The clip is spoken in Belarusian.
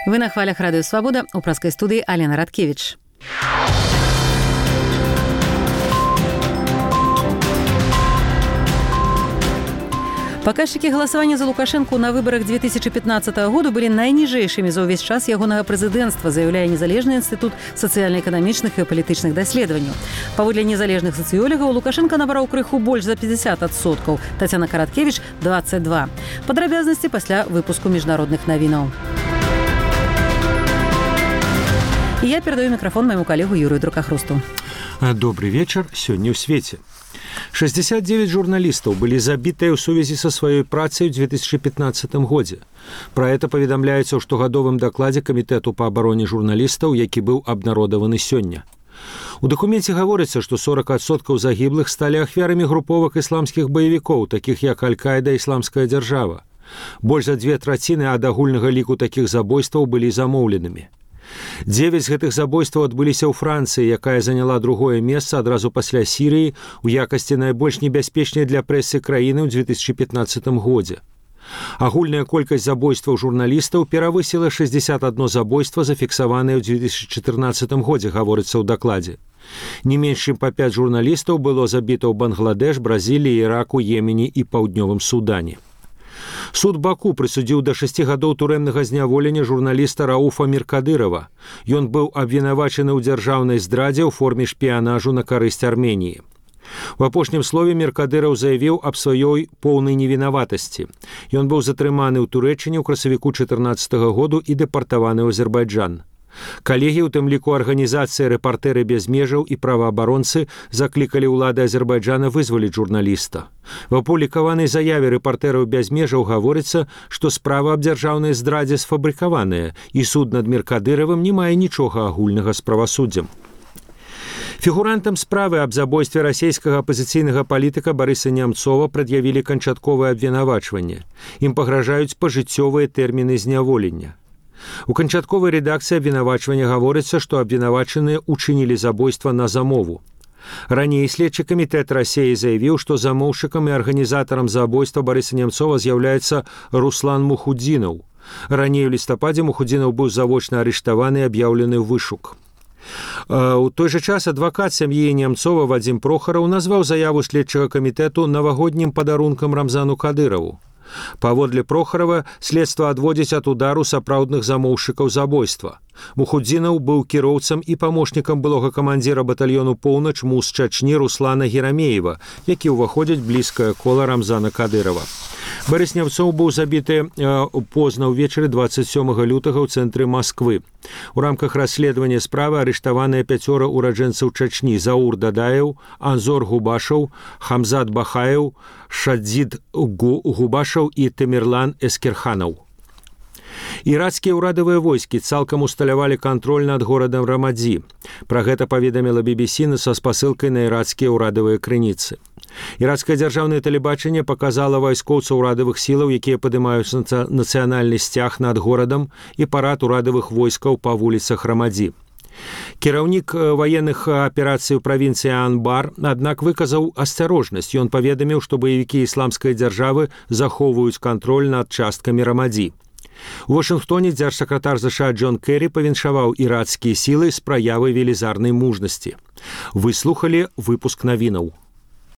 Вы на хвалях Радио Свобода, у праской студии Алена Радкевич. Паказчыкі галасавання за Лукашэнку на выбарах 2015 года былі найніжэйшымі за ўвесь час ягонага прэзідэнцтва, заяўляе незалежны інстытут сацыяльна-эканамічных і палітычных даследаванняў. Паводле незалежных сацыёлагаў, Лукашенко набраў крыху больш за 50%, Тацяна Караткевіч – 22%. Падрабязнасці пасля выпуску міжнародных навінаў. І я перадаю мікрафон майму калегу Юрыю Друкахрусту. Добрый вечер. Сёння ў свеце. 69 журналістаў былі забітыя ў сувязі са сваёй працай у 2015 годзе. Пра гэта паведамляецца ў штогадовым дакладзе Камітэту па абароне журналістаў, які быў абнародаваны сёння. У дакуменце гаворыцца, што 40% загіблых сталі ахвярамі груповак ісламскіх баевікоў, такіх як Аль-Каіда, Ісламская дзяржава. Больш за 2/3 ад агульнага ліку такіх забойстваў былі замоўленымі. 9 з гэтых забойстваў адбыліся ў Францыі, якая заняла другое месца адразу пасля Сірыі ў якасці найбольш небяспечнай для прэсы краіны ў 2015 годзе. Агульная колькасць забойстваў журналістаў перавысіла 61 забойства, зафіксаванае ў 2014 годзе, гаворыцца ў дакладзе. Не менш чым па 5 журналістаў было забіта ў Бангладеш, Бразіліі, Іраку, Йемене і Паўднёвым Судане. Суд Баку прысудзіў да 6 гадоў турэмнага зняволення журналіста Рауфа Міркадырова. Ён быў абвінавачаны ў дзяржаўнай здрадзе ў форме шпіянажу на карысць Арменіі. У апошнім слове Міркадыраў заявіў аб сваёй поўнай невінаватасці. Ён быў затрыманы ў Турэччыне ў красавіку 2014 году і дэпартаваны ў Азербайджан. Калегі, у тым ліку арганізацыя «Рэпартэры без межаў» і праваабаронцы заклікалі ўлады Азербайджана вызваліць журналіста. В апублікаванай заяве «Рэпартэраў без межаў» гаворыцца, што справа аб дзяржаўнай здрадзе сфабрыкаваная, і суд над Міркадыравым не мае нічога агульнага з правасуддзем. Фігурантам справы аб забойстве расійскага апазіцыйнага палітыка Барыса Нямцова прад'явілі канчатковае абвінавачванне. Ім пагражаюць пажыццёвыя тэрміны зняволення. У канчатковай рэдакцыі абвінавачвання гаворыцца, што абвінавачаныя учынілі забойства на замову. Раней следчы камітэт Расіі заявіў, што замоўшчыкам і арганізатарам забойства Барыса Нямцова з'яўляецца Руслан Мухудзінаў. Раней у лістападзе Мухудзінаў быў завочна арыштаваны і аб'яўлены ў вышук. У той жа час адвакат сям'і Нямцова Вадзім Прохараў назваў заяву следчага камітэту навагоднім падарункам Рамзану Кадыраву. Паводле Прохарава, следства адводзіць ад удару сапраўдных замоўшчыкаў забойства. Мухудзінаў быў кіроўцам і памочнікам былога камандзіра батальёну «Поўнач» МУС Чачні Руслана Герамеева, які ўваходзіць блізкае кола Рамзана Кадырава. Барыс Нямцоў быў забіты позна ўвечары 27 лютага ў цэнтры Масквы. У рамках расследавання справы арыштаваныя 5 ураджэнцаў Чачні: Заур Дадаев, Анзор Губашаў, Хамзат Бахаев, Шадзид Губашаў і Тамерлан Эскерханаў. Ірацкія ўрадавыя войскі цалкам усталявалі кантроль над горадам Рамадзі. Пра гэта паведаміла BBC са спасылкай на ірацкія ўрадавыя крыніцы. Ірацкае дзяржаўнае тэлебачанне паказала вайскоўцаў урадавых сілаў, якія падымаюць нацыянальны сцяг над горадам, і парад урадавых войскаў па вуліцах Рамадзі. Кіраўнік ваенных аперацый у правінцыі Анбар, аднак, выказаў асцярожнасць. Ён паведаміў, што баевікі ісламскай дзяржавы захоўваюць кантроль над часткамі Рамадзі. У Вашынгтоне дзяржсакратар США Джон Керрі павіншаваў ірацкія сілы з праявай велізарнай мужнасці. Вы слухалі выпуск навінаў.